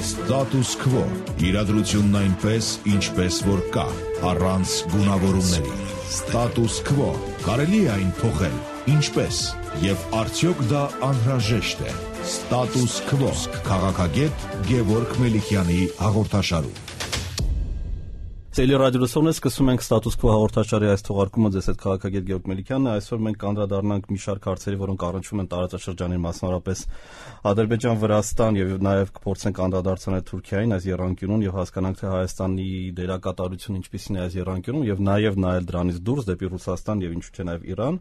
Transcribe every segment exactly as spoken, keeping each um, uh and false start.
Status Quo. Իրադրությունն այնպես, ինչպես որ կա, առանց գունավորումների։ Status Quo. Կարելի է այն փոխել, ինչպես, եւ արդյոք դա անհրաժեշտ է։ Status Quo. Քաղաքագետ Գևորգ Մելիքյանի հաղորդաշարում։ Ցելի ռադիոսոնը սկսում ենք Status Quo հաղորդաշարի այս թողարկումը ձեզ հետ քաղաքագետ Գևորգ Մելիքյանն է։ Այսօր մենք կանդրադառնանք մի շարք հարցերի, որոնք առնչվում են տարածաշրջանին, մասնավորապես Ադրբեջան, Վրաստան եւ նաեւ կփորձենք անդրադարձնել Թուրքիային այս եռանկյունում եւ հասկանանք թե Հայաստանի դերակատարությունը ինչպիսին է այս եռանկյունում եւ նաեւ նայել դրանից դուրս դեպի Ռուսաստան եւ ինչու՞ չէ նաեւ Իրան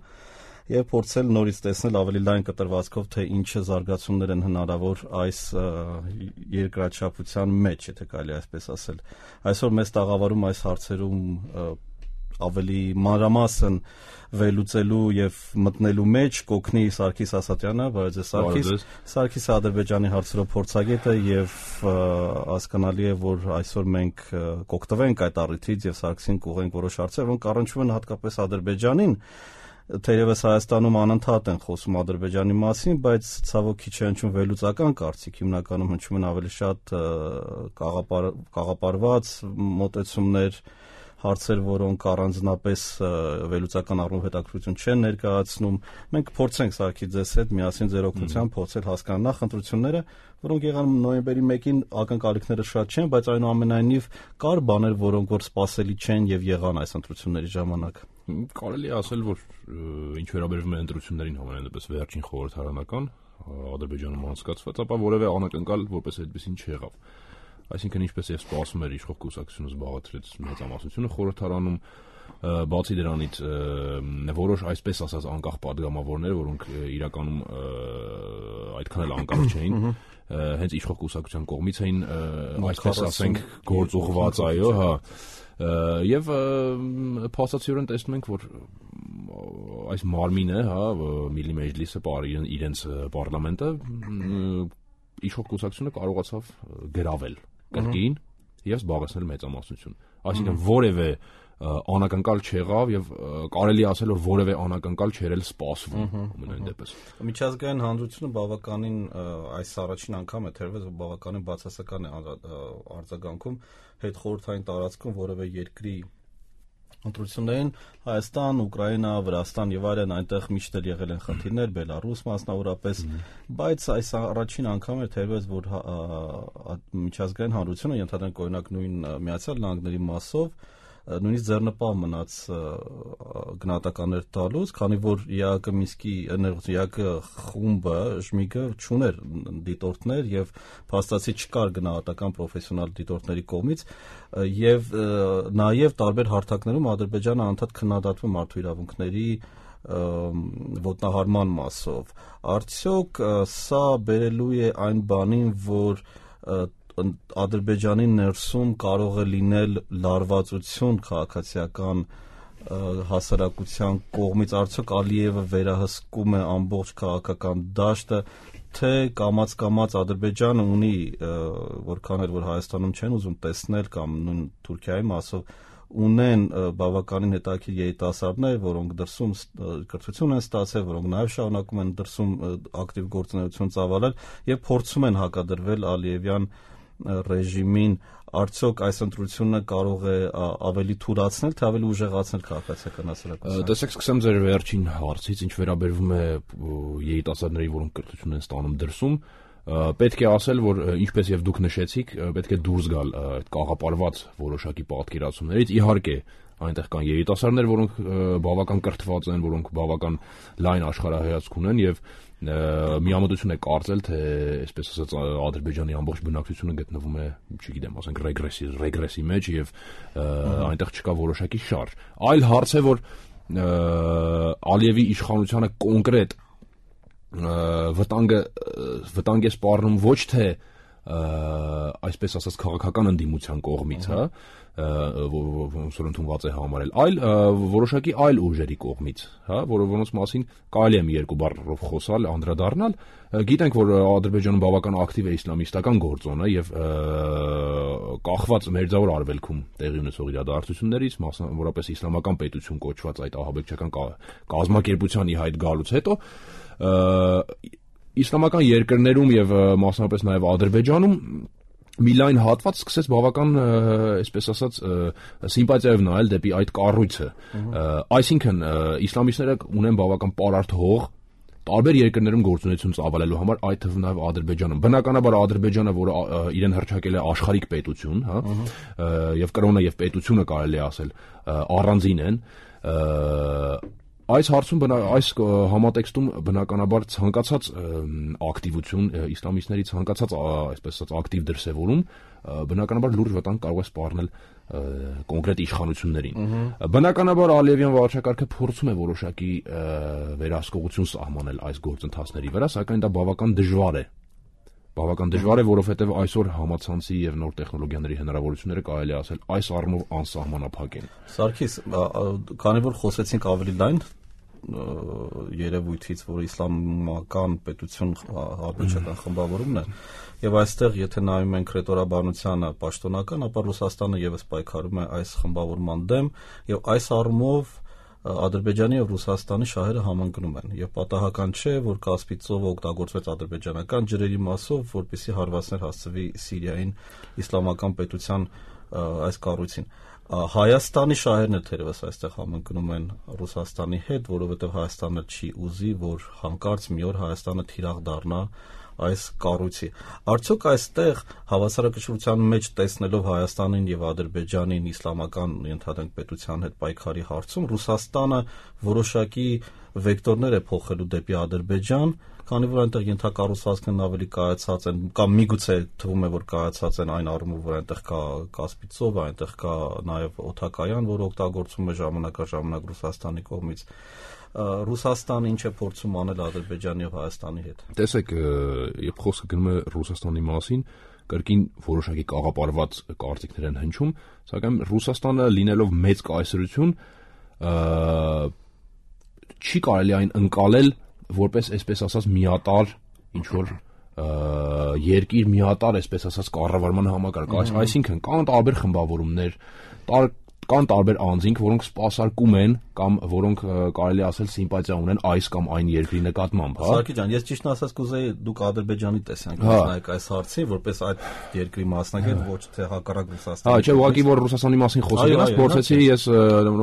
եւ փորձել նորից տեսնել ավելի լայն կտրվածքով թե ինչը զարգացումներ են հնարավոր այս երկրաչափության մեջ, եթե կարելի այսպես ասել։ Այսօր մեծ տաղավարում այս հարցերում ավելի մանրամասն վերլուծելու եւ մտնելու մեջ կօգնի Սարգիս Ասատյանը, բարև ձեզ Սարգիս։ Սարգիսը Ադրբեջանի հարցերով փորձագետ է եւ հասկանալի է, որ այսօր մենք կօգտվենք այդ առիթից եւ Սարգսին կուղենք որոշ հարցեր, որոնք առնչվում են հատկապես Ադրբեջանին։ Թերևս Հայաստանում անընդհատ են խոսում Ադրբեջանի մասին, բայց ցավոք քիչ է հնչում վերլուծական կարծիք, հիմնականում հնչում են ավելի շատ կաղապարված մոտեցումներ, հարցեր, որոնք առանձնապես վերլուծական առումով հետաքրքրություն չեն ներկայացնում։ Մենք փորձենք Սարգիս ձեզ հետ միասին ձեր օգնությամբ փորձել հասկանալ նախ ընտրությունները, որոնք եղան նոյեմբերի մեկին, ակնկալիքները շատ չեն, բայց այնուամենայնիվ կար բաներ, որոնք որ սպասելի չեն եւ եղան այս ընտրությունների ժամանակ։ Կարելի է ասել, որ ինչ վերաբերվում է ընտրություններին համենայնպես վերջին խորհրդարանական Ադրբեջանում անցկացված, ապա որևէ անակնկալ որպես այդպեսին չեղավ։ Այսինքն ինչպես եւ սպասում էր իշխող կուսակցությունը զբաղեցրեց մեծամասնությունը խորհրդարանում, բացի դրանից որոշ այսպես ասած անկախ падգամավորներ, որոնք իրականում այդքան էլ անկախ չէին, հենց իշխող կուսակցության կողմից էին, այսպես ասենք, գործուղված, այո, հա։ Եվ փաստացիորեն տեսնում ենք, որ այս մարմինը, հա, Միլի Մեջլիսը, իրենց պարլամենտը իշխող կուսակցությունը կարողացավ գրավել կրկին եւ զբաղեցնել մեծամասնություն։ Այսինքն որևէ անակնկալ չեղավ եւ կարելի ասել որ որևէ անակնկալ չէր էլ սպասվում ամենայն դեպս։ Միջազգային հանրությունը բավականին այս առաջին անգամ է թերևս բավականին բացասական է արձագանքում հետխորհրդային տարածքում որևէ երկրի ընտրություններին, Հայաստան, Ուկրաինա, Վրաստան եւ այլն, այնտեղ միշտ էլ եղել են խնդիրներ, Բելարուս մասնավորապես, բայց այս առաջին անգամ է թերևս որ միջազգային հանրությունը ենթադրենք օրինակ նույն Միացյալ Նահանգների մասով նույնիսկ ձեռնպահ մնաց գնահատականներ տալուց, քանի որ ԵԱԿ Մինսկի ԵԱԿ խումբը, Ժմիգը չուներ դիտորդներ եւ փաստացի չկար գնահատական պրոֆեսիոնալ դիտորդների կողմից եւ նաեւ տարբեր հարթակներում Ադրբեջանը անդադ քննադատվում մարդու իրավունքների ոտնահարման մասով։ Արդյոք սա բերելու է այն բանին, որ Ադրբեջանի ներսում կարող է լինել լարվածություն քաղաքացիական հասարակության կողմից, արդյոք Ալիևը վերահսկում է ամբողջ քաղաքական դաշտը, թե կամաց-կամաց Ադրբեջանը ունի, որքան էլ որ Հայաստանում չեն ուզում տեսնել կամ նույն Թուրքիայի մասով ունեն բավականին հետաքրքիր երիտասարդներ, որոնք դրսում կրթություն են ստացել, որոնք նաև շարունակում են դրսում ակտիվ գործունեություն ծավալել եւ փորձում են հակադրվել Ալիևյան ռեժիմին, արդյոք այս ընտրությունը կարող է ավելի թուլացնել, թե ավելի ուժեղացնել քաղաքացիական հասարակությունը։ Տեսեք, սկսեմ ձեր վերջին հարցից, ինչ վերաբերվում է երիտասարդների, որոնք կրթություն են ստանում դրսում, պետք է ասել, որ ինչպես եւ դուք նշեցիք, պետք է դուրս գալ այդ կաղապարված որոշակի պատկերացումներից, իհարկե այնտեղ կան երիտասարդներ, որոնք բավական կրթված են, որոնք բավական լայն աշխարհայացք ունեն եւ միամտություն է կարծել, թե այսպես ասած Ադրբեջանի ամբողջ բնակչությունը գտնվում է, չգիտեմ, ասենք ռեգրեսի, ռեգրեսի մեջ եւ այնտեղ չկա որոշակի շարժ։ Այլ հարց է, որ Ալիևի իշխանությանը կոնկրետ վտանգը վտանգ է սպառնում ոչ թե այսպես ասած քաղաքական ընդդիմության կողմից, հա, ոնց որ ընդունված է համարել, այլ որոշակի այլ ուժերի կողմից, հա, որոնց մասին կարելի է մի երկու բառով խոսալ, անդրադառնալ։ Գիտենք, որ Ադրբեջանում բավական ակտիվ է իսլամիստական գործոնը եւ կախված Մերձավոր Արևելքում տեղի ունեցող իրադարձություններից, մասնավորապես իսլամական պետություն կոչված այդ ահաբեկչական կազմակերպության ի հայտ գալուց հետո իսլամական երկրներում եւ մասնավորապես նաեւ Ադրբեջանում մի լայն հատված սկսեց բավական, այսպես ասած, սիմպաթիայով նայել դեպի այդ կառույցը։ Այսինքն իսլամիստները ունեն բավական պարարտ հող տարբեր երկրներում գործունեություն ծավալելու համար, այդ թվում նաև Ադրբեջանում։ Բնականաբար Ադրբեջանը, որը իրեն հռչակել է աշխարհիկ պետություն, հա, եւ կրոնը եւ պետությունը կարելի է ասել առանձին են, այս հարցում այս համատեքստում բնականաբար ցանկացած ակտիվություն իսլամիստների ցանկացած այսպես ասած ակտիվ դրսևորում բնականաբար լուրջ վտանգ կարող է սպառնել կոնկրետ իշխանություններին։ Բնականաբար Ալիևյան վարչակարգը փորձում է որոշակի վերահսկողություն սահմանել այս գործընթացների վրա, սակայն դա բավական դժվար է։ Բավական դժվար է, որովհետև այսօր համացանցի եւ նոր տեխնոլոգիաների հնարավորությունները կարելի ասել այս առումով անսահմանափակ են։ Սարգիս, քանի որ խոսեցինք ավելի լայն երևույթից, որ իսլամական պետություն ադրբեջանական խմբավորումն է, եւ այստեղ եթե նայում ենք ռետորաբանությանը պաշտոնական, ապա Ռուսաստանը եւս պայքարում է այս խմբավորման դեմ, եւ այս առումով Ադրբեջանի եւ Ռուսաստանի շահերը համընկնում են եւ պատահական չէ, որ Կասպից ծովը օգտագործվեց ադրբեջանական ջրերի մասով, որպեսզի հարվածներ հասցվի Սիրիային իսլամական պետության այս կառույցին։ Հայաստանի շահերն էլ թերևս այստեղ համընկնում են Ռուսաստանի հետ, որովհետեւ Հայաստանը չի ուզի, որ հանկարծ մի օր Հայաստանը թիրախ դառնա այս կառույցի։ Արդյոք այստեղ հավասարակշռության մեջ տեսնելով Հայաստանին եւ Ադրբեջանին իսլամական ընդհանրենք պետության հետ պայքարի հարցում Ռուսաստանը որոշակի վեկտորներ է փոխելու դեպի Ադրբեջան, քանի որ այնտեղ ենթակառուցվածքն ավելի կայացած են, կամ միգուցե թվում է, որ կայացած են այն առումով, որ այնտեղ կա Կասպի ծով, այնտեղ կա նաեւ օդակայան, որը օգտագործվում է ժամանակաժամանակ Ռուսաստանի կողմից։ Ռուսաստանը ինչ է փորձում անել Ադրբեջանի եւ Հայաստանի հետ։ Տեսեք, երբ խոսքը գնում է Ռուսաստանի մասին, կրկին որոշակի կաղապարված կարծիքներ են հնչում, սակայն Ռուսաստանը լինելով մեծ կայսրություն, չի կարելի այն ընկալել որպես այսպես ասած միատարր ինչ որ երկիր միատարր այսպես ասած կառավարման համակարգ, այսինքն կան տարբեր խմբավորումներ, կան տարբեր անձինք, որոնք սպասարկում են կամ որոնք կարելի ասել սիմպաթիա ունեն այս կամ այն երկրի նկատմամբ, հա։ Սարգիս ջան, ես ճիշտն ասած կուզեի դուք Ադրբեջանի տեսանկյունից նայեք այս հարցին, որպես այդ երկրի մասնագետ, ոչ թե հակառակ Ռուսաստանի։ Հա, չէ, ուղղակի որ Ռուսաստանի մասին խոսել ես, փորձեցի ես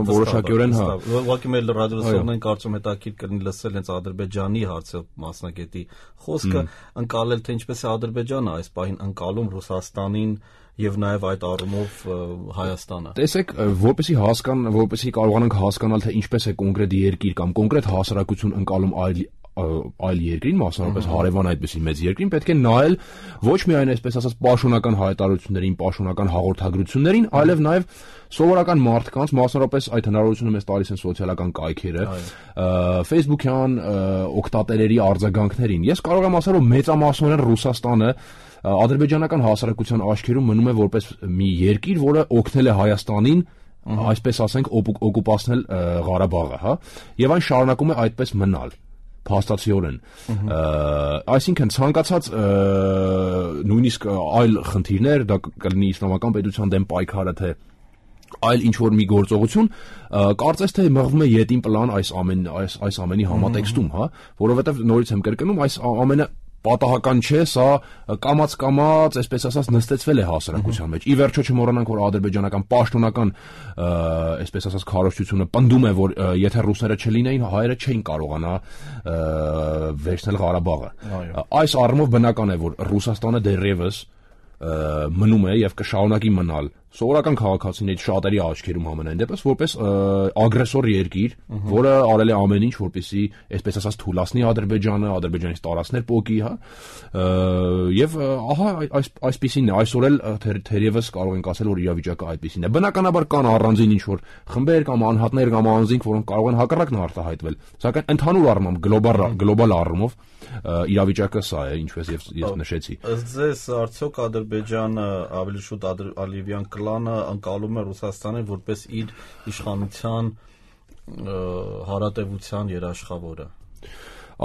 որոշակիորեն, հա։ Ուղղակի մեր ռադիոլսողներին կարծում հետաքրքիր կլինի լսել հենց Ադրբեջանի հարցը մասնագետի խոսքը, ընկալել թե ինչպես է Ադրբեջանը այս պահին ընկալում Ռուսաստանին եւ նաեւ այդ առումով Հայաստանը։ Տեսեք, որպեսի հասկան, որպեսի կարողանանք հասկանալ թե ինչպես է կոնկրետ երկիր կամ կոնկրետ հասարակություն ընկալում այլ այլ երկրին, մասնավորապես հարևան այդպիսի մեծ երկրին, պետք է նայել ոչ միայն այսպես ասած պաշտոնական հայտարարություններին, պաշտոնական հաղորդագրություններին, այլև նաեւ սովորական մարդկանց, մասնավորապես այդ հնարավորությունը մեզ տալիս են սոցիալական կայքերը, Facebook-յան օգտատերերի արձագանքներին։ Ես կարող եմ ասել, որ մեծամասնորեն Ռուսաստանը ադրբեջանական հասարակության աչքերում մնում է որպես մի երկիր, որը օգնել է Հայաստանին, այսպես ասենք, օկուպացնել Ղարաբաղը, հա, եւ այն շարունակում է այդպես մնալ փաստացիորեն։ Այսինքն ցանկացած նույնիսկ այլ խնդիրներ, դա կլինի իսլամական պետության դեմ պայքարը, թե այլ ինչ որ մի գործողություն, կարծես թե մղվում է յետին պլան այս ամեն այս այս ամենի համատեքստում, հա, որովհետեւ նորից եմ կրկնում, այս ամենը պատահական չէ, սա կամած-կամած, այսպես ասած, նստեցվել է հասարակության մեջ։ Ի վերջո չմոռանանք, որ ադրբեջանական պաշտոնական, այսպես ասած, քարոզչությունը պնդում է, որ եթե ռուսները չլինեին, հայերը չէին կարողանա վերցնել Ղարաբաղը։ Այս առումով բնական է, որ Ռուսաստանը դեռևս մնում է եւ կշարունակի մնալ սովորական քաղաքացիների շատերի աչքերում համենայն դեպս որպես ագրեսոր երկիր, որը արել է ամեն ինչ, որպեսզի այսպես ասած թուլացնի Ադրբեջանը, Ադրբեջանից տարածներ փոկի, հա։ Եվ ահա այս այսպեսին է, այսօր էլ թերևս կարող ենք ասել, որ իրավիճակը այդպեսին է։ Բնականաբար կան առանձին ինչ որ խմբեր կամ անհատներ կամ անձինք, որոնք կարող են հակառակն արտահայտվել, սակայն ընդհանուր առմամբ գլոբալ գլոբալ առումով իրավիճակը սա է, ինչպես ես նշեցի։ Ըստ ձեզ արդյոք Ադրբեջանը ավելի շուտ Ալիևյան կլանը ընկալում է Ռուսաստանին որպես իր իշխանության հարատևության երաշխավորը։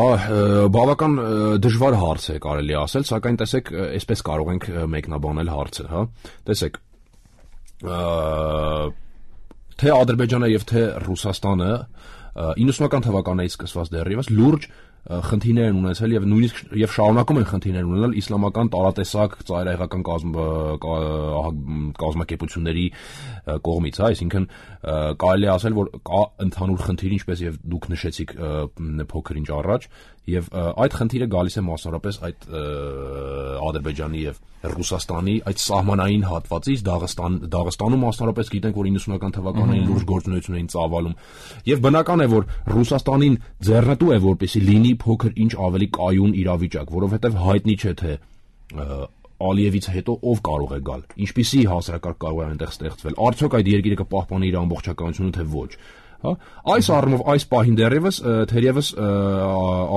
Ահ, բավական դժվար հարց է կարելի ասել, սակայն տեսեք, այսպես կարող ենք մեկնաբանել հարցը, հա։ Տեսեք, թե Ադրբեջանը եւ թե Ռուսաստանը իննսունական թվականներից սկսված դեռևս լուրջ խնդիրներ են ունեցել եւ նույնիսկ եւ շարունակում են խնդիրներ ունենալ իսլամական տարատեսակ ծայրահեղական կազմակերպությունների կողմից, հա, այսինքն կարելի է ասել, որ կա ընդհանուր խնդիր, ինչպես եւ դուք նշեցիք փոքր ինչ առաջ, եւ այդ խնդիրը գալիս է մասնավորապես այդ Ադրբեջանի եւ Ռուսաստանի այդ սահմանային հատվածից, Դաղստան Դաղստանում մասնավորապես գիտենք, որ իննսունական թվականներին լուրջ գործունեություն էին ծավալում եւ բնական է, որ Ռուսաստանին ձեռնտու է, որպեսզի լինի փոքր ինչ ավելի կայուն իրավիճակ, որովհետեւ հայտնի չէ թե Ալիևից հետո ով կարող է գալ, ինչպիսի հասարակարգ կարող է այնտեղ ստեղծվել, արդյոք այդ երկիրը կպահպանի իր ամբողջականությունը թե ոչ, հա, այս առումով այս պահին դեռևս թերևս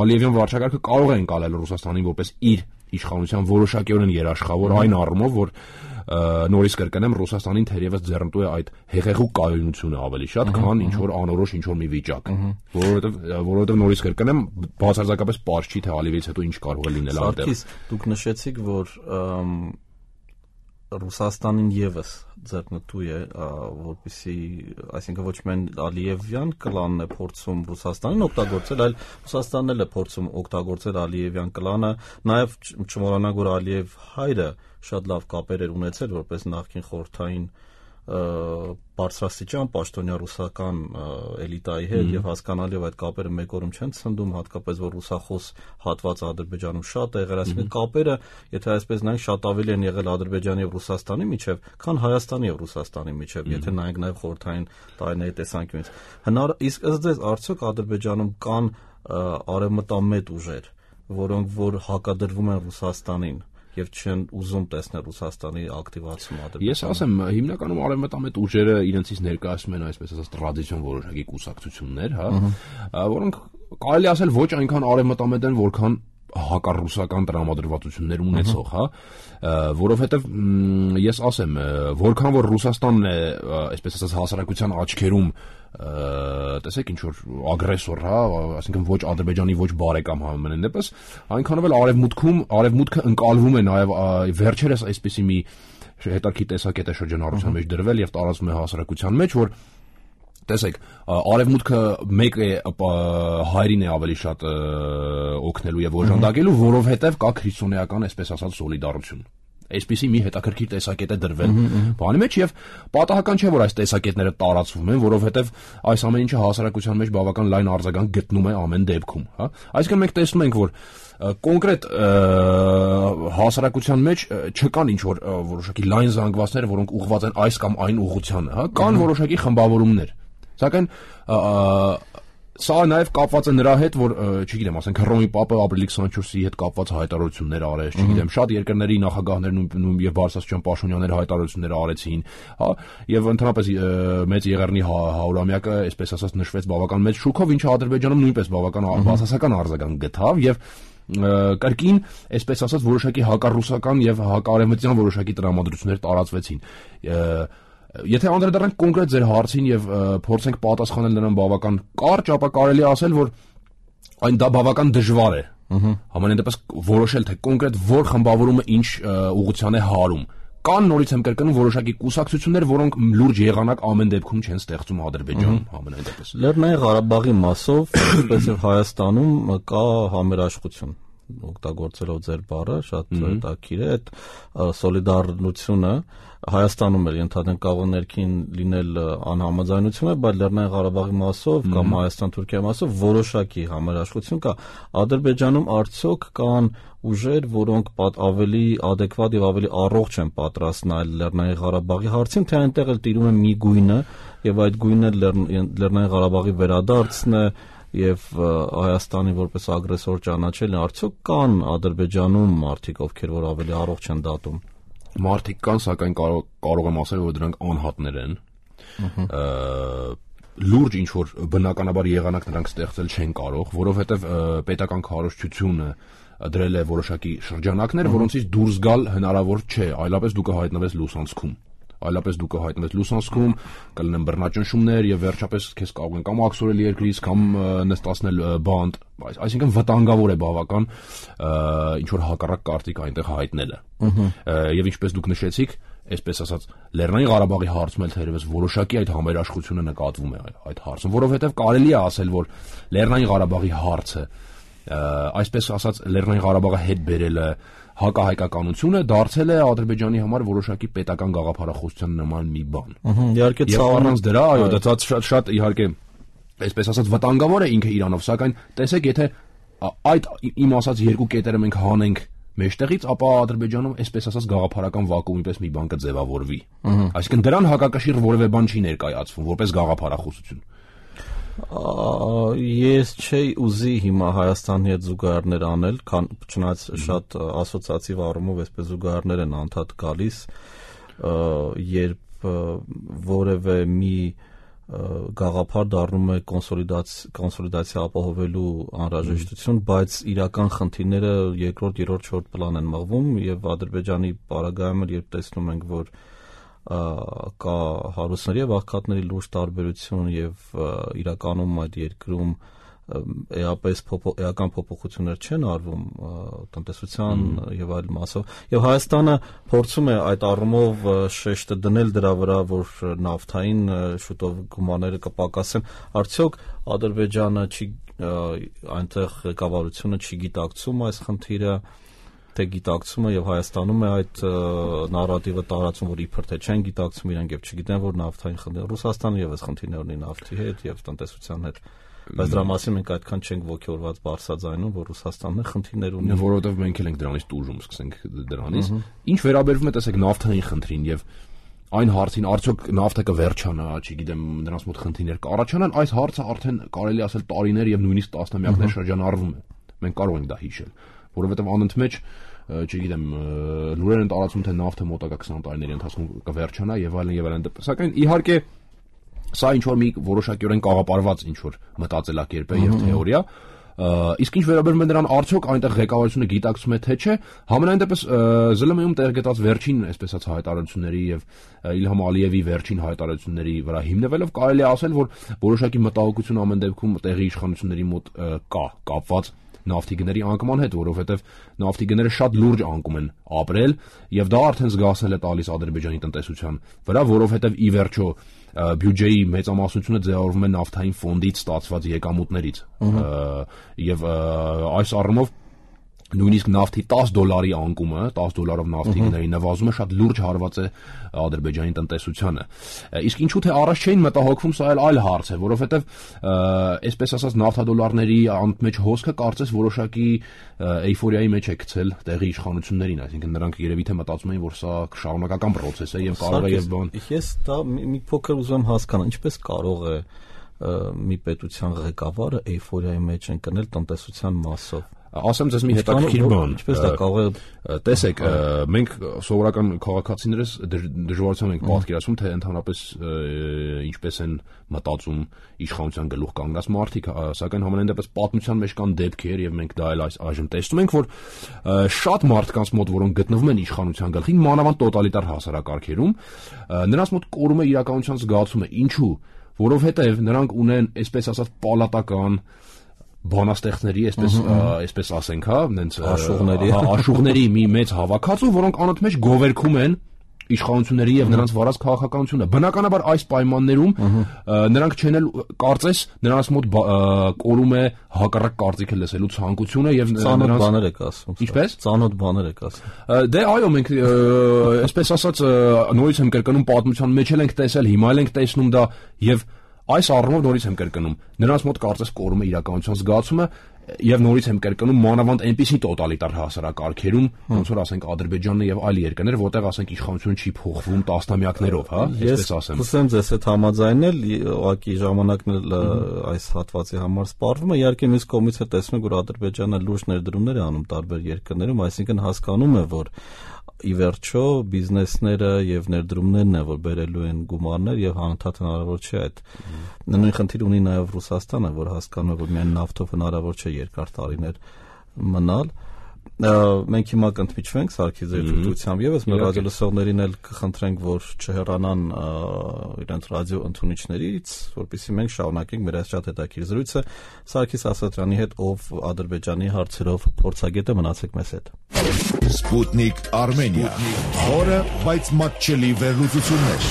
Ալիևյան վարչակարգը կարող է ընկալել Ռուսաստանին որպես իր իշխանության որոշակիորեն երաշխավոր այն առումով, որ նորից կրկնեմ, Ռուսաստանին թերևս ձեռնտու է այդ հեղեղու կայունությունը ավելի շատ, քան ինչ որ անորոշ ինչ որ մի վիճակ, որովհետև որովհետև նորից կրկնեմ, բացարձակապես պարզ չի, թե Ալիևից հետո ինչ կարող է լինել այնտեղ։ Սարգիս, դուք նշեցիք, որ Ռուսաստանին եւս ձեռնտու է, որպեսզի, այսինքն ոչ միայն Ալիևյան կլանն է փորձում Ռուսաստանին օգտագործել, այլ Ռուսաստանն էլ է փորձում օգտագործել Ալիևյան կլանը, նաեւ չմոռանանք, որ Ալիև հայրը շատ լավ կապեր էր ունեցել որպես նախկին խորհրդային բարձրաստիճան պաշտոնյա ռուսական էլիտայի հետ եւ հասկանալի այդ կապերը մեկ օրում չեն ցնդում, հատկապես որ ռուսախոս հատված Ադրբեջանում շատ է եղել, այսինքն կապերը, եթե այսպես նայենք, շատ ավելի են եղել Ադրբեջանի եւ Ռուսաստանի միջեւ, քան Հայաստանի եւ Ռուսաստանի միջեւ, եթե նայենք նաեւ խորհրդային տարիների տեսանկյունից։ Հնար իսկ ըստ ձեզ արդյոք Ադրբեջանում կան արևմտամետ ուժեր, որոնք որ հակադրվում են Ռուսաստանին եւ չեն ուզում տեսնել Ռուսաստանի ակտիվացումը Ադրբեջանում։ Ես ասեմ, հիմնականում արևմտամետ ուժերը իրենցից ներկայացնում են այսպես ասած տրադիցիոն որոշակի կուսակցություններ, հա, որոնք կարելի ասել ոչ այնքան արևմտամետ են, որքան հակառուսական տրամադրվածություններ ունեցող, հա, որովհետև ես ասեմ, որքան որ Ռուսաստանն է, այսպես ասած, հասարակության աչքերում տեսեք ինչ որ ագրեսոր, հա, այսինքն ոչ Ադրբեջանի ոչ բարեկամ համենայն դեպս, այնքանով էլ արևմուտքում արևմուտքը ընկալվում է նաև վերջերս այսպիսի մի հետաքրքիր տեսակետ է շրջանառության մեջ դրվել եւ տարածվում է հասարակության մեջ, որ տեսեք, արևմուտքը մեկ է հայրին է ավելի շատ օգնելու եւ օժանդակելու, որովհետեւ կա քրիստոնեական, այսպես ասած, սոլիդարություն։ Այսպիսի մի հետաքրքիր տեսակետ է դրվել բանի մեջ եւ պատահական չէ, որ այս տեսակետները տարածվում են, որովհետեւ այս ամեն ինչը հասարակության մեջ բավական լայն արձագանք գտնում է ամեն դեպքում, հա։ Այսինքն մենք տեսնում ենք, որ կոնկրետ հասարակության մեջ չկան ինչ որ որոշակի լայն զանգվածներ, որոնք ուղղված են այս կամ այն ուղղությանը, հա, կան որոշակի խմբավորումներ։ Սակայն սա նաև կապված է նրա հետ, որ, չգիտեմ, ասենք Հռոմի Պապը ապրիլի քսաներկուսի հետ կապված հայտարարություններ արեց, չգիտեմ, շատ երկրների նախագահներ նույն եւ Բարսասյան Պաշտոնյաներ հայտարարություններ արեցին, հա, եւ ընդհանրապես մեծ Եղեռնի հարյուրամյակը, այսպես ասած, նշվեց բավական մեծ շուկով, ինչը Ադրբեջանում նույնպես բավական բացասական արձագանք գտավ եւ կրկին, այսպես ասած, որոշակի հակառուսական եւ հակարևմտյան որոշակի տրամադրություններ տարածվեցին։ Եթե անդրադառնանք կոնկրետ ձեր հարցին եւ փորձենք պատասխանել նրան բավական կարճ, ապա կարելի է ասել, որ այն դա բավական դժվար է։ Համենայն դեպս որոշել, թե կոնկրետ որ խմբավորումը ինչ ուղղության է հարում։ Կան նորից եմ կրկնում որոշակի կուսակցություններ, որոնք լուրջ եղանակ ամեն դեպքում չեն ստեղծում Ադրբեջանում, համենայն դեպս։ Լեռնային Ղարաբաղի մասով, ինչպես եւ Հայաստանում կա համերաշխություն, օգտագործելով ձեր բառը, շատ հետաքրքիր է այդ սոլիդարությունը Հայաստանում էլ ընդհանրեն կարող ներքին լինել անհամաձայնություն, բայց Լեռնային Ղարաբաղի մասով կամ Հայաստան-Թուրքիայի մասով որոշակի համերաշխություն կա։ Ադրբեջանում արդյոք կան ուժեր, որոնք ավելի adekvat եւ ավելի առողջ են պատրաստ նայել Լեռնային Ղարաբաղի հարցին, թե այնտեղ էլ տիրում է մի գույնը եւ այդ գույնը Լեռնային Ղարաբաղի վերադարձն է եւ Հայաստանի որպես ագրեսոր ճանաչելն, արդյոք կան Ադրբեջանում մարդիկ, ովքեր որ ավելի առողջ են դատում։ Մարդիկ կան, սակայն կարող, կարող եմ ասել, որ դրանք անհատներ են։ Լուրջ ինչ որ բնականաբար եղանակ նրանք ստեղծել չեն կարող, որովհետև պետական քարոզչությունը դրել է որոշակի շրջանակներ, որոնցից դուրս գալ հնարավոր չէ, այլապես դու կհայտնվես լուսանցքում։ Այլապես դու կհայտնվես լուսանցքում, կլինեն բռնաճնշումներ եւ վերջապես քեզ կարող են կամ աքսորել երկրից, կամ նստացնել բանտ, այսինքն վտանգավոր է բավական ինչ որ հակառակ կարտիկ այնտեղ հայտնելը։ Եվ ինչպես դուք նշեցիք, այսպես ասած, Լեռնային Ղարաբաղի հարցում էլ թերևս որոշակի այդ համերաշխությունը նկատվում է այդ հարցում, որովհետեւ կարելի է ասել, որ Լեռնային Ղարաբաղի հարցը այսպես ասած Լեռնային Ղարաբաղը հետ բերելը հակահայկականությունը դարձել է Ադրբեջանի համար որոշակի պետական գաղափարախոսության նման մի բան։ Իհարկե առանց դրա, այո, դա շատ շատ իհարկե այսպես ասած վտանգավոր է ինքը Իրանով, սակայն տեսեք, եթե այդ իմ ասած երկու կետերը մենք հանենք մեջտեղից, ապա Ադրբեջանում այսպես ասած գաղափարական վակուումի պես մի բան կձևավորվի։ Այսինքն դրան հակակշիռ որևէ բան չի ներկայացվում որպես գաղափարախոսություն։ Ես չէի ուզի հիմա Հայաստանի հետ զուգահեռներ անել, քան չնայած շատ ասոցիատիվ առումով այսպես զուգահեռներ են անդադ գալիս, երբ որևէ մի գաղափար դառնում է կոնսոլիդացիա ապահովելու անհրաժեշտություն, բայց իրական խնդիրները երկրորդ, երրորդ, չորրորդ պլան են մղվում եւ Ադրբեջանի պարագայում էլ երբ տեսնում ենք, որ կա հարուստների եւ աղքատների լուրջ տարբերություն եւ իրականում այդ երկրում էապես էական փոփոխություններ չեն արվում տնտեսության եւ այլ մասով եւ Հայաստանը փորձում է այդ առումով շեշտը դնել դրա վրա, որ նավթային շուտով գումարները կպակասեն, արդյոք Ադրբեջանը չի այնտեղ ղեկավարությունը չի գիտակցում այս խնդիրը, թե գիտակցումը եւ Հայաստանում է այդ նարատիվը տարածում, որ իբր թե չեն գիտակցում իրանք եւ չգիտեն, որ նավթային խնդիր Ռուսաստանը եւս խնդիրներ ունի նավթի հետ եւ տնտեսության հետ, բայց դրա մասին մենք այդքան չենք ողջորված բարձրաձայնում, որ Ռուսաստանն է խնդիրներ ունի, որովհետեւ մենք էլ ենք դրանից տուժում, սկսենք դրանից։ Ինչ վերաբերվում է, տեսեք, նավթային խնդրին եւ այն հարցին, արդյոք նավթը կվերջանա, չգիտեմ, նրանց մոտ խնդիրներ կառաջանան, այս հարցը արդեն կարելի ասել տարիներ եւ նույնիսկ տասնամյակներ շրջանառվում է։ Մենք կարող ենք դա հիշել, որովհետեւ անընդմեջ չգիտեմ, լուրեր են տարածում, թե նավթը մոտակա քսան տարիների ընթացքում կվերջանա եւ այլն եւ այլն։ Սակայն իհարկե սա ինչ որ մի որոշակիորեն կաղապարված ինչ որ մտածելակերպ է եւ թեորիա, իսկ ինչ վերաբերում է նրան, արդյոք այնտեղ ղեկավարությունը գիտակցում է թե չէ, համենայն դեպս ԶԼՄ-ում տեղ գտած վերջին այսպես ասած հայտարարությունների եւ Իլհամ Ալիևի վերջին հայտարարությունների վրա հիմնվելով կարելի է ասել, որ որոշակի մտահոգություն ամեն դեպքում տեղի իշխանությունների մոտ կա կապված նավթի գների անկման հետ, որովհետև նավթի գները շատ լուրջ անկում են ապրել եւ դա արդեն զգացել է տալիս Ադրբեջանի տնտեսության վրա, որովհետև ի վերջո բյուջեի մեծամասնությունը ձևավորվում է նավթային ֆոնդից ստացված եկամուտներից եւ այս առումով նույնիսկ նավթի տասը դոլարի անկումը, տասը դոլարով նավթի գների նվազումը շատ լուրջ հարված է Ադրբեջանի տնտեսությանը։ Իսկ ինչու թե առաջ չէին մտահոգվում, սա էլ այլ հարց է, որովհետև այսպես ասած նավթադոլարների անմեջ հոսքը կարծես որոշակի էյֆորիայի մեջ է գցել տեղի իշխանություններին, այսինքն նրանք երևի թե մտածում էին, որ սա շարունակական process է եւ կարող է եւ բան։ Ես դա մի փոքր ուզում եմ հասկանալ, ինչպես կարող է մի պետության ղեկավարը էյֆորիայի մեջ ընկնել տնտեսության մասով։ Ասեմ ձեզ մի հետաքրքիր բան, ինչպես դա կարող է, տեսեք, մենք սովորական քաղաքացիներս դժվարությամբ ենք պատկերացնում, թե ընդհանրապես ինչպես են մտածում իշխանության գլուխ կանգնած մարդիկ, սակայն համենայն դեպս պատմության մեջ կան դեպքեր եւ մենք դա էլ այժմ տեսնում ենք, որ շատ մարդկանց մոտ, որոնք գտնվում են իշխանության գլխին, մանավանդ տոտալիտար հասարակարգերում, նրանց մոտ կորում է իրականության զգացումը, ինչու, որովհետեւ նրանք ունեն, այսպես ասած, պալատական բանաստեղծների, այսպես այսպես ասենք, հա, նենց աշուղների, աշուղների մի մեծ հավաքածու, որոնք անընդմեջ գովերքում են իշխանությունների եւ նրանց վարած քաղաքականությունը։ Բնականաբար այս պայմաններում նրանք չեն էլ կարծես նրանց մոտ կորում է հակառակ կարծիքը լսելու ցանկությունը եւ նրանց բաներ եք ասում։ Ինչպես? Ծանոթ բաներ եք ասում։ Դե այո, մենք այսպես ասած նորից եմ կրկնում պատմության մեջ էլ ենք տեսել, հիմա էլ ենք տեսնում դա եւ այս առումով նորից եմ կրկնում, նրանց մոտ կարծես կորում է իրականության զգացումը եւ նորից եմ կրկնում մանավանդ այնպիսի տոտալիտար հասարակարգերում, ոնց որ ասենք Ադրբեջանն եւ այլ երկրներ, որտեղ ասենք իշխանությունը չի փոխվում տասնամյակներով, հա, այսպես ասեմ։ Ես կուսեմ ձեզ հետ համաձայնել, ուղղակի ժամանակն էլ այս հատվածի համար սպառվում է, իհարկե մյուս կողմից է տեսնում, որ Ադրբեջանը լուրջ ներդրումներ է անում տարբեր երկրներում, այսինքն հասկանում է, որ ի վերջո բիզնեսները եւ ներդրումներն է, որ բերելու են գումարներ եւ անընդհատ հնարավոր չէ այդ նույն խնդիր ունի նաեւ Ռուսաստանը, որ հասկանում է, որ միայն նավթով հնարավոր չէ երկար տարիներ մնալ։ Մենք հիմա կընդմիջվենք Սարգիս ձեր թույլտվությամբ եւս մեր ռադիոլսողներին էլ կխնդրենք, որ չհեռանան իրենց ռադիո ընդունիչներից, որպեսզի մենք շարունակենք մեր այս շատ հետաքրքիր զրույցը Սարգիս Ասատրյանի հետ, ով Ադրբեջանի հարցերով փորձագետ է, մնացեք մեզ հետ։ Sputnik Armenia, խորը, բայց մատչելի վերլուծություններ։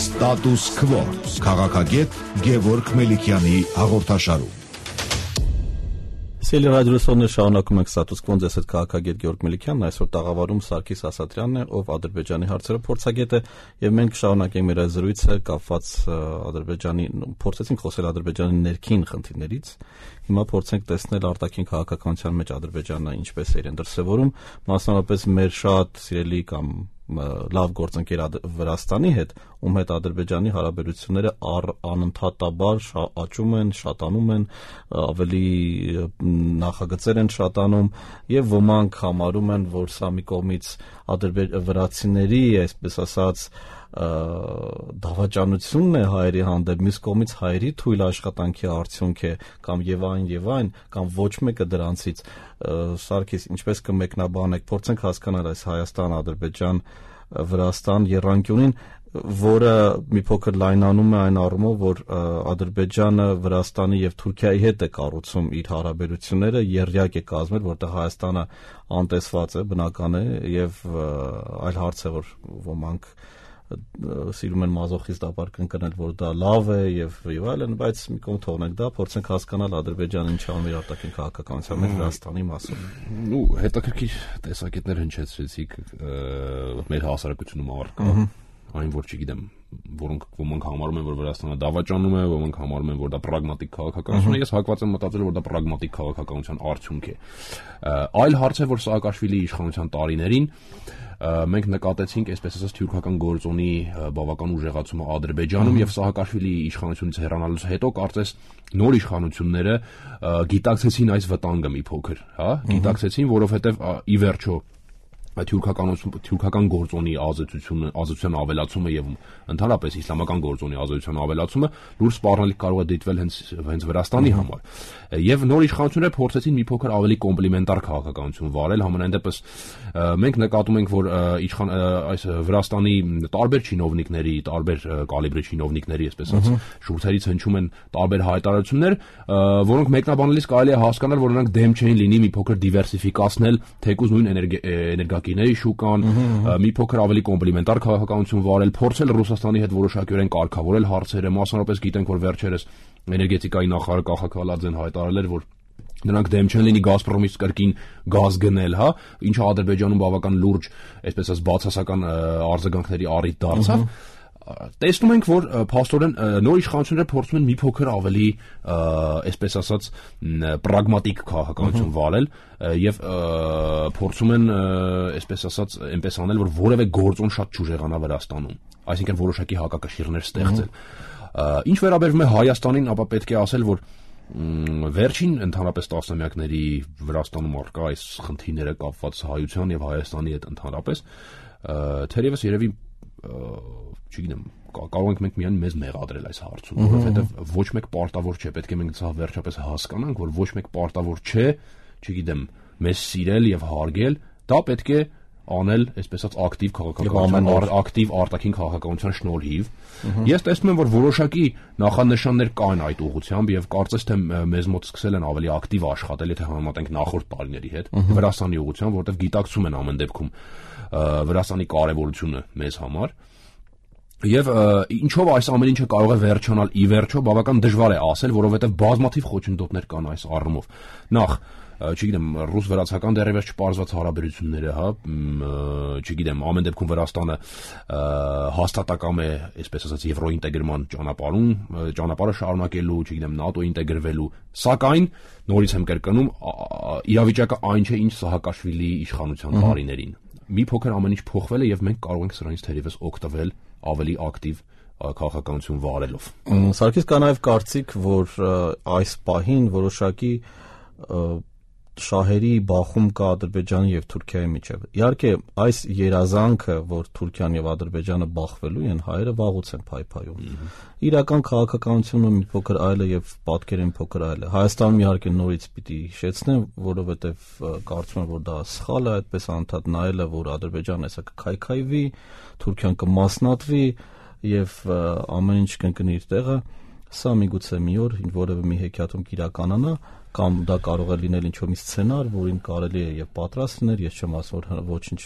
Status Quo, քաղաքագետ Գևորգ Մելիքյանի հաղորդաշարում։ Սիրելի ռադիոլսողներ, շարունակում ենք Ստատուս Քվոն, ձեզ հետ քաղաքագետ Գեորգ Մելիքյանն, այսօր տաղավարում Սարգիս Ասատրյանն է, ով Ադրբեջանի հարցերով փորձագետ է, եւ մենք շարունակենք մեր զրույցը կապված Ադրբեջանի, փորձեցինք խոսել Ադրբեջանի ներքին խնդիրներից, հիմա փորձենք տեսնել արտաքին քաղաքականության մեջ Ադրբեջանը ինչպես է իրեն դրսևորում, մասնավորապես մեր շատ սիրելի կամ լավ գործընկեր Վրաստանի հետ, ում հետ Ադրբեջանի հարաբերությունները անընդհատաբար աճում են, շատանում են, ավելի նախագծեր են շատանում եւ ոմանք համարում են, որ սա մի կողմից վրացիների, այսպես ասած, դավաճանությունն է հայերի հանդեպ, մյուս կողմից հայերի թույլ աշխատանքի արդյունք է, կամ եւ այն եւ այն, կամ ոչ մեկը դրանցից։ Սարգիս, ինչպես կմեկնաբանեք, փորձենք հասկանալ այս Հայաստան, Ադրբեջան, Վրաստան եռանկյունին, որը մի փոքր լայնանում է այն առումով, որ Ադրբեջանը Վրաստանի եւ Թուրքիայի հետ է կառուցում իր հարաբերությունները, եռյակ է կազմել, որտեղ Հայաստանը անտեսված է, բնական է, եւ այլ հարց է, որ ոմանք սիրում են մազոխիստաբար կնկնել, որ դա լավ է եւ եւ այլն, բայց մի կողմ թողնենք դա, փորձենք հասկանալ Ադրբեջանը ինչ անում իր արտաքին քաղաքականության մեջ Վրաստանի մասում։ Ու հետաքրքիր տեսակետներ հնչեցրեցիք մեր հասարակությունում առկա, այն որ չգիտեմ, որոնք ոմանք համարում են, որ Վրաստանը դավաճանում է, ոմանք համարում են, որ դա պրագմատիկ քաղաքականություն է, ես հակված եմ մտածել, որ դա պրագմատիկ քաղաքականության արդյունք է։ Այլ հարց է, որ Սաակաշվիլիի իշխանության տարիներին մենք նկատեցինք, այսպես ասած, թուրքական գործոնի բավական ուժեղացումը Ադրբեջանում եւ Սահակաշվիլիի իշխանությունից հեռանալուց հետո կարծես նոր իշխանությունները գիտակցեցին այս վտանգը մի փոքր, հա, գիտակցեցին, որովհետեւ ի վերջո թուրքականություն թուրքական գործոնի ազդեցությունը ազդեցության ավելացումը եւ ընդհանրապես իսլամական գործոնի ազդեցության ավելացումը լուրջ սպառնալիք կարող է դիտվել հենց հենց Վրաստանի համար եւ նոր իշխանությունները փորձեցին մի փոքր ավելի կոմպլիմենտար քաղաքականություն վարել համենայն դեպս մենք նկատում ենք որ իշխան այս Վրաստանի տարբեր չինովնիկների տարբեր կալիբրի չինովնիկների այսպես ասած շուրթերից հնչում են տարբեր հայտարարություններ որոնք մեկնաբանելիս կարելի է հասկանալ որ նրանք դեմ չէին լինի մի փոքր դիվերսիֆիկացնել թեկուզ նույն էներգա Կիների շուկան, մի փոքր ավելի կոմպլիմենտար քաղաքականություն վարել, փորձել Ռուսաստանի հետ որոշակիորեն կարգավորել հարցերը, մասնավորապես գիտենք, որ վերջերս էներգետիկայի նախարար Կախակալաձեն հայտարարել էր, որ նրանք դեմ չեն լինի Գազպրոմից կրկին գազ գնել, հա, ինչը Ադրբեջանում բավական լուրջ, այսպես ասած, բացասական արձագանքների առիթ դարձավ։ Տեսնում ենք, որ փաստորեն նոր իշխանությունները փորձում են մի փոքր ավելի, այսպես ասած, պրագմատիկ քաղաքականություն վարել եւ փորձում են, այսպես ասած, այնպես անել, որ որևէ գործոն շատ չուժեղանա Վրաստանում, այսինքն որոշակի հակակշիռներ ստեղծել։ Ինչ վերաբերվում է Հայաստանին, ապա պետք է ասել, որ վերջին ընդհանրապես տասնամյակների Վրաստանում առկա այս խնդիրները կապված հայության եւ Հայաստանի հետ ընդհանրապես, թերևս երևի չգիտեմ, կարող ենք մենք միայն մեզ մեղադրել այս հարցում, որովհետև ոչ մեկ պարտավոր չէ, պետք է մենք սա վերջապես հասկանանք, որ ոչ մեկ պարտավոր չէ, չգիտեմ, մեզ սիրել եւ հարգել, դա պետք է անել, այսպես ասած, ակտիվ քաղաքականության, ակտիվ արտաքին քաղաքականության շնորհիվ։ Ես տեսնում եմ, որ որոշակի նախանշաններ կան այդ ուղղությամբ եւ կարծես թե մեզ մոտ սկսել են ավելի ակտիվ աշխատել, եթե համեմատենք նախորդ տարիների հետ, Վրաստանի ուղղությամբ, որտեղ գիտակցում են ամեն դեպքում Վրաստանի կարևորությունը մեզ համար։ Եվ ինչով այս ամեն ինչը կարող է վերջանալ ի վերջո բավական դժվար է ասել, որովհետև բազմաթիվ խոչընդոտներ կան այս առումով։ Նախ, չգիտեմ, ռուս-վրացական դեռևս չպարզված հարաբերությունները, հա, չգիտեմ, ամեն դեպքում Վրաստանը հաստատակամ է, այսպես ասած, եվրոինտեգրման ճանապարհում, ճանապարհը շարունակելու, չգիտեմ, ՆԱՏՕ ինտեգրվելու, սակայն նորից եմ կրկնում, իրավիճակը այն չէ, ինչ Սահակաշվիլիի իշխանության տարիներին։ Մի փոքր ամեն ինչ փոխվել է եւ մենք կարող ենք սրանից թերևս օգտվել ավելի ակտիվ քաղաքականություն վարելով։ Սարգիս, կա նաև կարծիք, որ այս պահին որոշակի շահերի բախում կա Ադրբեջանի եւ Թուրքիայի միջեւ։ Իհարկե, այս երազանքը, որ Թուրքիան եւ Ադրբեջանը բախվելու են, հայերը վաղուց են փայփայում։ Իրական քաղաքականությունը մի փոքր այլ է եւ պատկերը մի փոքր այլ է։ Հայաստանում իհարկե նորից պիտի հիշեցնեմ, որովհետեւ կարծում եմ, որ դա սխալ է, այդպես անդադ նայելը, որ Ադրբեջանը հեսա կքայքայվի, Թուրքիան կմասնատվի եւ ամեն ինչ կընկնի իր տեղը։ Սա միգուցե մի օր որևէ մի հեքիաթում կիրականանա, կամ դա կարող է լինել ինչ-որ մի սցենար, որին կարելի է եւ պատրաստ լինել, ես չեմ ասում, որ ոչինչ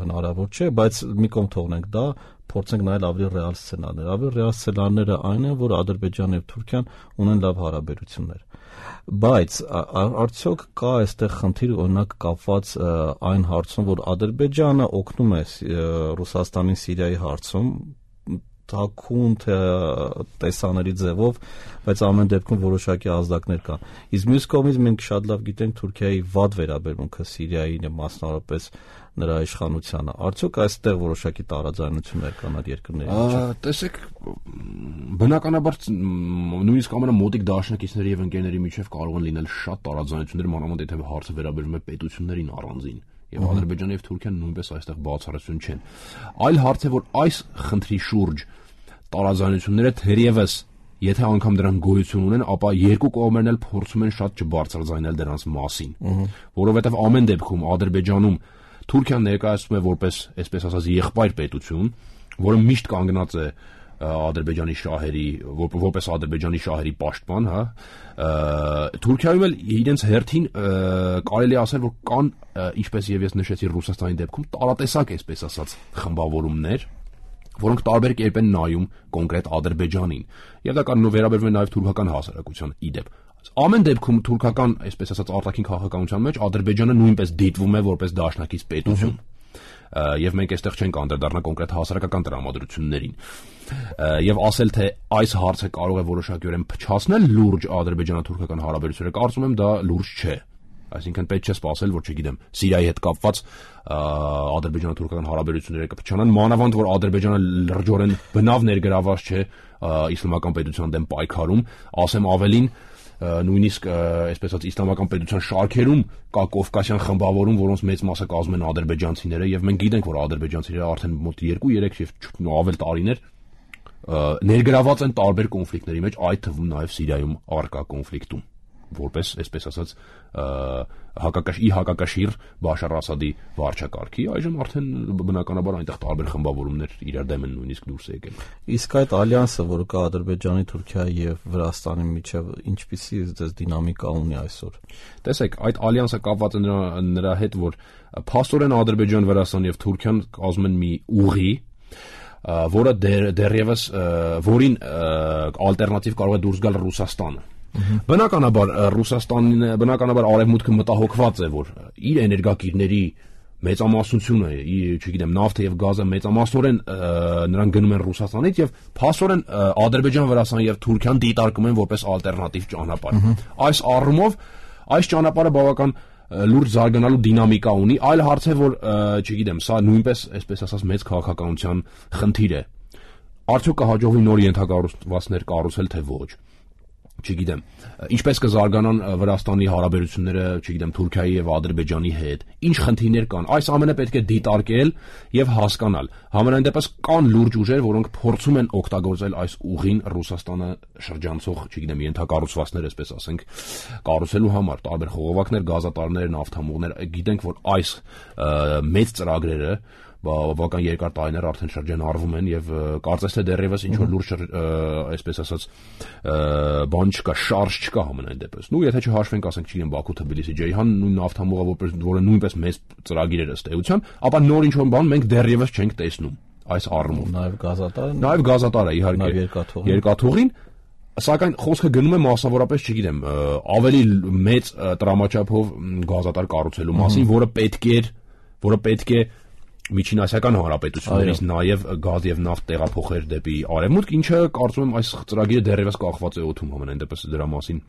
հնարավոր չէ, բայց մի կողմ թողնենք դա, փորձենք նայել ավելի ռեալ սցենարներ։ Ավելի ռեալ սցենարները այն են, որ Ադրբեջանն եւ Թուրքիան ունեն լավ հարաբերություններ։ Բայց արդյոք կա այստեղ խնդիր, օրինակ կապված այն հարցում, որ Ադրբեջանը օգնում է Ռուսաստանին Սիրիայի հարցում, թաքուն թե տեսանելի ձևով, բայց ամեն դեպքում որոշակի ազդակներ կան։ Իսկ մյուս կողմից մենք շատ լավ գիտենք Թուրքիայի վատ վերաբերմունքը Սիրիային եւ մասնավորապես նրա իշխանությանը։ Արդյոք այստեղ որոշակի տարաձայնություններ կան այդ երկրների միջեւ։ Տեսեք, բնականաբար նույնիսկ ամենամոտիկ դաշնակիցների եւ ընկերների միջեւ կարող են լինել շատ տարաձայնություններ, մանավանդ եթե հարցը վերաբերում է պետություններին առանձին։ Եվ Ադրբեջանը եւ Թուրքիան նույնպես այստեղ բացառություն չեն։ Այլ հարց է, որ այս խնդրի շուրջ տարաձայնությունները թերևս, եթե անգամ դրանք գոյություն ունեն, ապա երկու կողմերն էլ փորձում են շատ չբարձրաձայնել դրանց մասին, որովհետեւ ամեն դեպքում Ադրբեջանում Թուրքիան ներկայացվում է որպես, այսպես ասած, եղբայր պետություն, որը միշտ կանգնած է Ադրբեջանի շահերի, որպես Ադրբեջանի շահերի պաշտպան, հա, Թուրքիայում էլ իրենց հերթին կարելի է ասել, որ կան, ինչպես եւ ես նշեցի Ռուսաստանի դեպքում, տարատեսակ, այսպես ասած, խմբավորումներ, որոնք տարբեր կերպ են նայում կոնկրետ Ադրբեջանին, եւ դա կարող վերաբերվում է նաեւ թուրքական հասարակության իդեպ։ Ամեն դեպքում թուրքական, այսպես ասած, արտաքին քաղաքականության մեջ Ադրբեջանը նույնպես դիտվում է որպես դաշնակից պետություն։ Եվ մենք այստեղ չենք անդրադառնա կոնկրետ հասարակական տրամադրություններին։ Եվ ասել թե այս հարցը կարող է որոշակիորեն փչացնել լուրջ ադրբեջանա-թուրքական հարաբերությունները, կարծում եմ դա լուրջ չէ։ Այսինքն պետք չէ սպասել, որ չգիտեմ, Սիրիայի հետ կապված ադրբեջանա-թուրքական հարաբերությունները կփչանան, մանավանդ որ Ադրբեջանը լրջորեն բնավ ներգրաված չէ իսլամական պետության դեմ պայքարում, ասեմ ավելին, նույնիսկ այսպես ասած իսլամական պետության շարքերում կա կովկասյան խմբավորում, որոնց մեծ մասը կազմում են ադրբեջանցիները, եւ մենք գիտենք, որ ադրբեջանցիները արդեն մոտ երկու երեք եւ ավել տարիներ ներգրաված են տարբեր կոնֆլիկտների մեջ, այդ թվում նաեւ Սիրիայում առկա կոնֆլիկտում, որպես այսպես ասած հակակաշ ի հակակաշիռ Բաշար Ասադի վարչակարգի, այժմ արդեն բնականաբար այնտեղ տարբեր խմբավորումներ իրար դեմ են նույնիսկ դուրս եկել։ Իսկ այդ ալյանսը, որը կա Ադրբեջանի, Թուրքիայի եւ Վրաստանի միջեւ, ինչպիսի դες դինամիկա ունի այսօր։ Տեսեք, այդ ալյանսը կապված է նրա նրա հետ, որ փաստորեն Ադրբեջան, Վրաստան եւ Թուրքիան կազմում են մի ուղի, որը դեռևս որին ալտերնատիվ կարող է դուրս գալ Ռուսաստանը։ Բնականաբար Ռուսաստանն բնականաբար արևմուտքը մտահոգված է, որ իր էներգակիրների մեծամասնությունը, չգիտեմ, նավթը եւ գազը մեծամասնորեն նրանք գնում են Ռուսաստանից եւ փաստորեն Ադրբեջան, Վրաստան եւ Թուրքիան դիտարկում են որպես ալտերնատիվ ճանապարհ։ Այս առումով այս ճանապարհը բավական լուրջ զարգանալու դինամիկա ունի, այլ հարց է, որ չգիտեմ, սա նույնպես, այսպես ասած, մեծ քաղաքականության խնդիր է։ Արդյոք կհաջողվի նոր ենթակառուցվածքներ կառուցել, թե ոչ։ Չգիտեմ, ինչպես կզարգանան Վրաստանի հարաբերությունները, չգիտեմ, Թուրքիայի եւ Ադրբեջանի հետ, ինչ խնդիրներ կան, այս ամենը պետք է դիտարկել եւ հասկանալ։ Համենայն դեպս կան լուրջ ուժեր, որոնք փորձում են օգտագործել այս ուղին Ռուսաստանը շրջանցող, չգիտեմ, ենթակառուցվածքներ, այսպես ասենք, կառուցելու համար, տարբեր խողովակներ, գազատարներ, նավթամուղներ, գիտենք, որ այս մեծ ծրագրերը բավական երկար տարիներ արդեն շրջանառվում են եւ կարծես թե դեռևս ինչ որ լուրջ այսպես ասած բան չկա, շարժ չկա համենայն դեպս։ Նու եթե չհաշվենք, ասենք, չգիտեմ, Բաքու-Թբիլիսի Ջեյհան նույն նավթամուղը, որը նույնպես մեծ ծրագիր էր ըստ էության, ապա նոր ինչ որ բան մենք դեռևս չենք տեսնում այս առումով։ Նաեւ գազատարը, նաեւ գազատարը իհարկե երկաթուղին, սակայն խոսքը գնում է մասնավորապես, չգիտեմ, ավելի մեծ տրամաչափով գազատար կառուցելու մասին, որը պետք է որը պետք է Միջինասիական հանրապետություններից նաև գազ եւ նավթ տեղափոխեր դեպի արևմուտք, ինչը կարծում եմ այս ծրագիրը դեռևս կախված է օդում, համենայն դեպս դրա մասին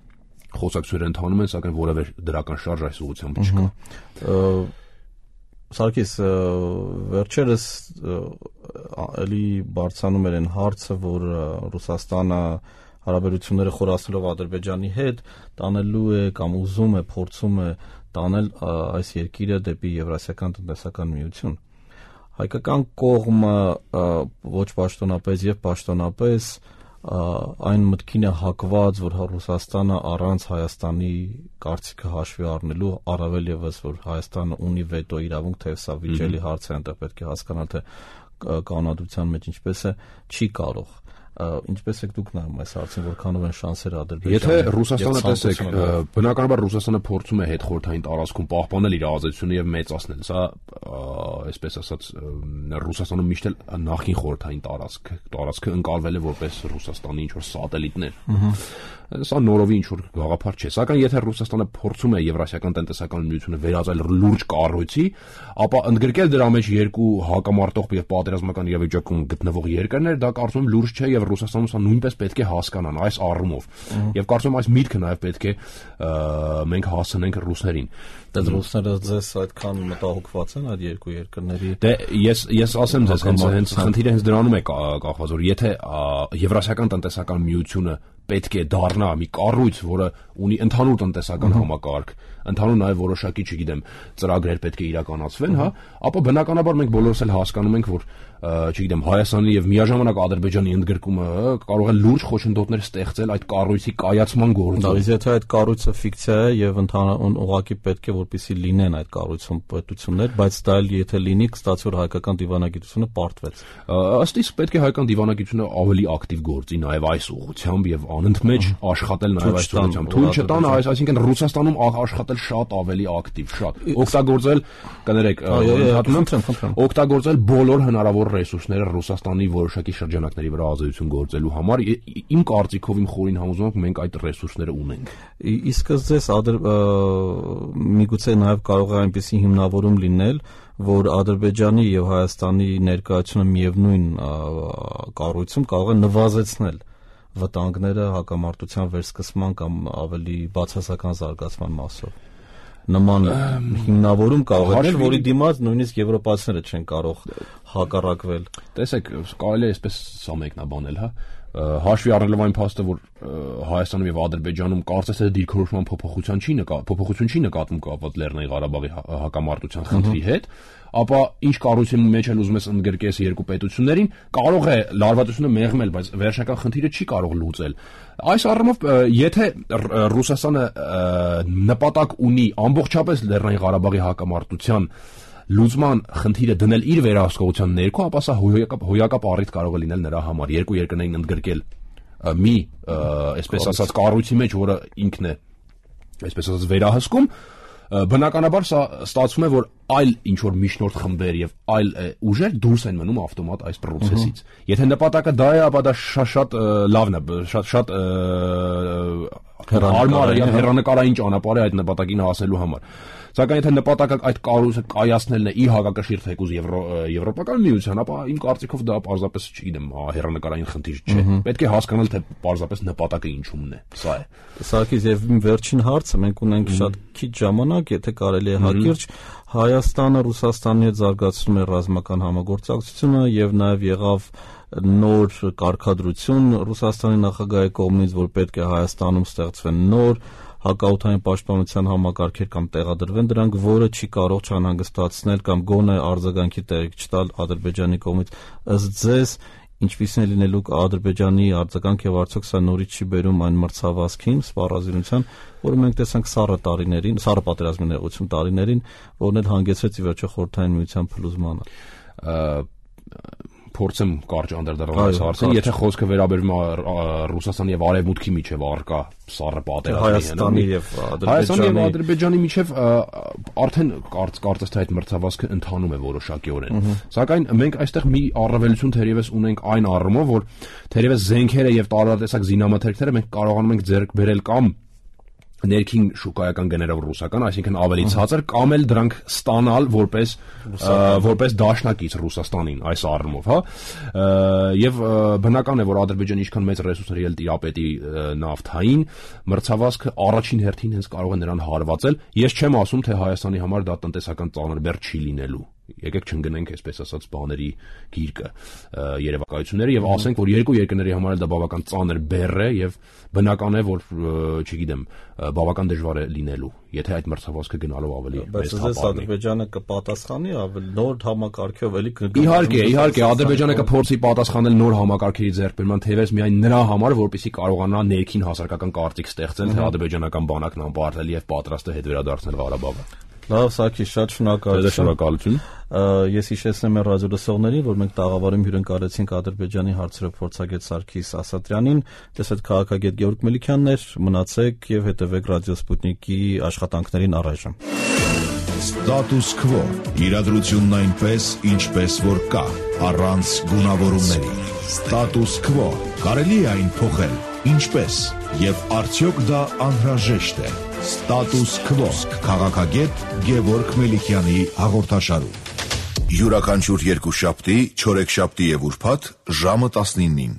խոսակցություններ ընթանում են, սակայն որևէ դրական շարժ այս ուղղությամբ չկա։ Սարգիս, վերջերս էլի բարձրանում էր այն հարցը, որ Ռուսաստանը հարաբերությունները խորացնելով Ադրբեջանի հետ տանելու է կամ ուզում է, փորձում է տանել այս երկիրը դեպի Եվրասիական տնտեսական միություն։ Հայկական կողմը ոչ պաշտոնապես եւ պաշտոնապես այն մտքին է հակված, որ Ռուսաստանը առանց Հայաստանի կարծիքը հաշվի առնելու, առավել եւս որ Հայաստանը ունի վետո իրավունք, թե սա վիճելի հարց է, այնտեղ պետք է հասկանալ, թե կանոնադրության մեջ ինչպես է, չի կարող։ Ինչպես եք դուք նայում այս հարցին, որքանով են շանսերը Ադրբեջանի։ Եթե Ռուսաստանը տեսեք, բնականաբար Ռուսաստանը փորձում է հետխորհրդային տարածքում պահպանել իր ազդեցությունը եւ մեծացնել։ Սա, այսպես ասած, Ռուսաստանում միշտ էլ նախին խորհրդային տարածք, տարածքը ընկալվել է որպես Ռուսաստանի ինչ-որ սատելիտներ։ Սա նորովի ինչ-որ գաղափար չէ։ Սակայն եթե Ռուսաստանը փորձում է Եվրասիական տնտեսական միությունը վերածել լուրջ կառույցի, ապա ընդգրկել դրա մեջ երկու հակամարտող եւ պատերազմական իրավիճակում գտնվող երկրներ, դա կարծում եմ լուրջ չէ եւ Ռուսաստանում սա նույնպես պետք է հասկանան այս առումով։ Եվ կարծում եմ այս միտքը նաեւ պետք է մենք հասցնենք ռուսներին։ Դե ռուսները ձեզ այդքան մտահոգված են այդ երկու երկրների։ Դե ես ես ասեմ ձեզ, հենց հենց խնդիրը հենց դրանում է կախված, որ եթե Եվրասիական տնտեսական միությունը պետք է դառնա մի կառույց, որը ունի ընդհանուր տնտեսական համակարգ, ընդհանուր նաև որոշակի, չգիտեմ, ծրագրեր պետք է իրականացվեն, հա, ապա բնականաբար մենք բոլորս էլ հասկանում ենք, որ չգիտեմ, Հայաստանի եւ միաժամանակ Ադրբեջանի ընդգրկումը կարող է լուրջ խոչընդոտներ ստեղծել այդ կառույցի կայացման գործում։ Բայց եթե այդ կառույցը ֆիկցիա է եւ ընդհանուր ուղղակի պետք է որպեսզի լինեն այդ կառույցում պետություններ, բայց դա էլ եթե լինի, կստացի որ հայկական դիվանագիտությունը պարտվեց։ Ըստ իս պետք է հայկական դիվանագիտությունը ավելի ակտիվ գործի նաեւ այս ուղղությամբ եւ անընդմեջ աշխատել նաեւ այս ուղղությամբ։ Թույլ չտան, այսինքն Ռուսաստանում աշխատել շատ ավելի ակտիվ, շատ օգտագործել, կներեք, օգտագործել բոլոր հնարավոր ռեսուրսները Ռուսաստանի որոշակի շրջանակների վրա ազդեցություն գործելու համար։ Իմ կարծիքով, իմ խորին համոզմունքով մենք այդ ռեսուրսները ունենք։ Իսկ ձեզ միգուցե նաև կարող է այնպիսի հիմնավորում լինել, որ Ադրբեջանի եւ Հայաստանի ներկայությունը միևնույն կառույցում կարող է նվազեցնել վտանգները հակամարտության վերսկսման կամ ավելի բացասական զարգացման մասով։ Նման հիմնավորում կարող է, որի դիմաց նույնիսկ եվրոպացիները չեն կարող հակառակվել։ Տեսեք, կարելի է այսպես սա մեկնաբանել, հա։ Հաշվի առնելով այն փաստը, որ Հայաստանում եւ Ադրբեջանում կարծես թե դիրքորոշման փոփոխություն չի նկա, փոփոխություն չի նկատվում կապված Լեռնային Ղարաբաղի հակամարտության խնդրի հետ, ապա ինչ կառույցի մեջ էլ ուզում ես ընդգրկես երկու պետություններին, կարող է լարվածությունը մեղմել, բայց վերջնական խնդիրը չի կարող լուծել։ Այս առումով, եթե Ռուսաստանը նպատակ ունի ամբողջապես Լեռնային Ղարաբաղի հակամարտության լուծման խնդիրը դնել իր վերահսկողության ներքո, ապա սա հոյակապ հոյակապ առիթ կարող է լինել նրա համար երկու երկրներին ընդգրկել մի, այսպես ասած, կառույցի մեջ, որը ինքն է, այսպես ասած, վերահսկում։ Բնականաբար սա ստացվում է, որ այլ ինչ-որ միջնորդ խմբեր եւ այլ ուժեր դուրս են մնում ավտոմատ այս process-ից։ Եթե նպատակը դա է, ապա դա շատ լավն է, շատ շատ հարմար է, հեռանկարային ճանապարհ է այդ նպատակին հասնելու համար։ Սակայն եթե նպատակը այդ կառույցը կայացնելն է ի հակակշիռ թեկուզ եվրոպական միության, ապա իմ կարծիքով դա պարզապես, չգիտեմ, հեռանկարային խնդիր չէ։ Պետք է հասկանալ, թե պարզապես նպատակը ինչումն է։ Սա է։ Սարգիս, եւ իմ վերջին հարցը, մենք ունենք շատ քիչ ժամանակ, եթե կարելի է հակիրճ, Հայաստանը Ռուսաստանի հետ զարգացնում է ռազմական համագործակցությունը եւ նաեւ եղավ նոր կարգադրություն Ռուսաստանի նախագահի կողմից, որ պետք է Հայաստանում ստեղծվեն նոր հակաօդային պաշտպանության համակարգեր կամ տեղադրվեն դրանք, որը չի կարող չանհանգստացնել կամ գոնե արձագանքի տեղիք չտալ Ադրբեջանի կողմից։ Ըստ ձեզ, ինչպիսին է լինելու Ադրբեջանի արձագանք եւ արդյոք սա նորից չի բերում այն մրցավազքին, սպառազինության, որը մենք տեսանք սառը տարիներին, սառը պատերազմի ներողություն տարիներին, որն էլ հանգեցրեց ի վերջո խորհրդային միության փլուզմանը։ Փորձեմ կարճ անդրադառնալ այս հարցին, եթե խոսքը վերաբերում է Ռուսաստանի եւ Արևմուտքի միջև առկա սառը պատերազմի, Հայաստանի եւ Ադրբեջանի Հայաստանի եւ Ադրբեջանի միջև արդեն կարծես թե այդ մրցավազքը ընթանում է որոշակիորեն։ Սակայն մենք այստեղ մի առավելություն թերևս ունենք այն առումով, որ թերևս զենքերը եւ տարատեսակ զինամթերքները մենք կարողանում ենք ձեռք բերել կամ ներքին շուկայական գներով ռուսական, այսինքն ավելի ցածր, կամ էլ դրանք ստանալ որպես որպես դաշնակից Ռուսաստանին այս առումով, հա։ Եվ բնական է, որ Ադրբեջանը ինչքան մեծ ռեսուրսներ էլ տիրապետի նավթային, մրցավազքը առաջին հերթին հենց կարող է նրան հարվածել։ Ես չեմ ասում, թե Հայաստանի համար դա տնտեսական ծանր բեռ չի լինելու։ Եկեք չընկնենք, այսպես ասած, բաների գիրկը, երևակայությունները եւ ասենք, որ երկու երկրների համար դա բավական ծանր բեռ է եւ բնական է, որ չգիտեմ, բավական դժվար է լինելու, եթե այդ մրցավազքը գնալով ավելի մեծ թափ առնի։ Բայց Ադրբեջանը կպատասխանի ավելի նոր համակարգով էլի կգա։ Իհարկե, իհարկե, Ադրբեջանը կփորձի պատասխանել նոր համակարգերի ձեռքբերման, թեև միայն նրա համար, որպեսզի կարողանա ներքին հասարակական կարծիք ստեղծել, թե ադրբեջանական բանակն անպարտելի եւ պատրաստ է հետ վերադարձնել Ղարաբաղը։ Լավ, Սարգիս, շատ շնորհակալություն։ Շնորհակալություն։ Ես հիշեցնեմ մեր ռադիոլսողներին, որ մենք տաղավարում հյուրընկալեցինք Ադրբեջանի հարցերով փորձագետ Սարգիս Ասատրյանին, դες այդ քաղաքագետ Գեորգ Մելիքյանն էր, մնացեք եւ հետեւեք Ռադիո Սպուտնիկի աշխատանքներին առայժմ։ Ստատուս քվո. իրադրությունն այնպես, ինչպես որ կա, առանց գունավորումների։ Ստատուս քվո. կարելի է այն փոխել, ինչպես, եւ արդյոք դա անհրաժեշտ է։ Ստատուս քվո. քաղաքագետ Գեորգ Մելիքյանի հաղորդաշարում։ Յուրաքանչյուր երկուշաբթի, չորեքշաբթի եւ ուրբաթ ժամը տասնինին։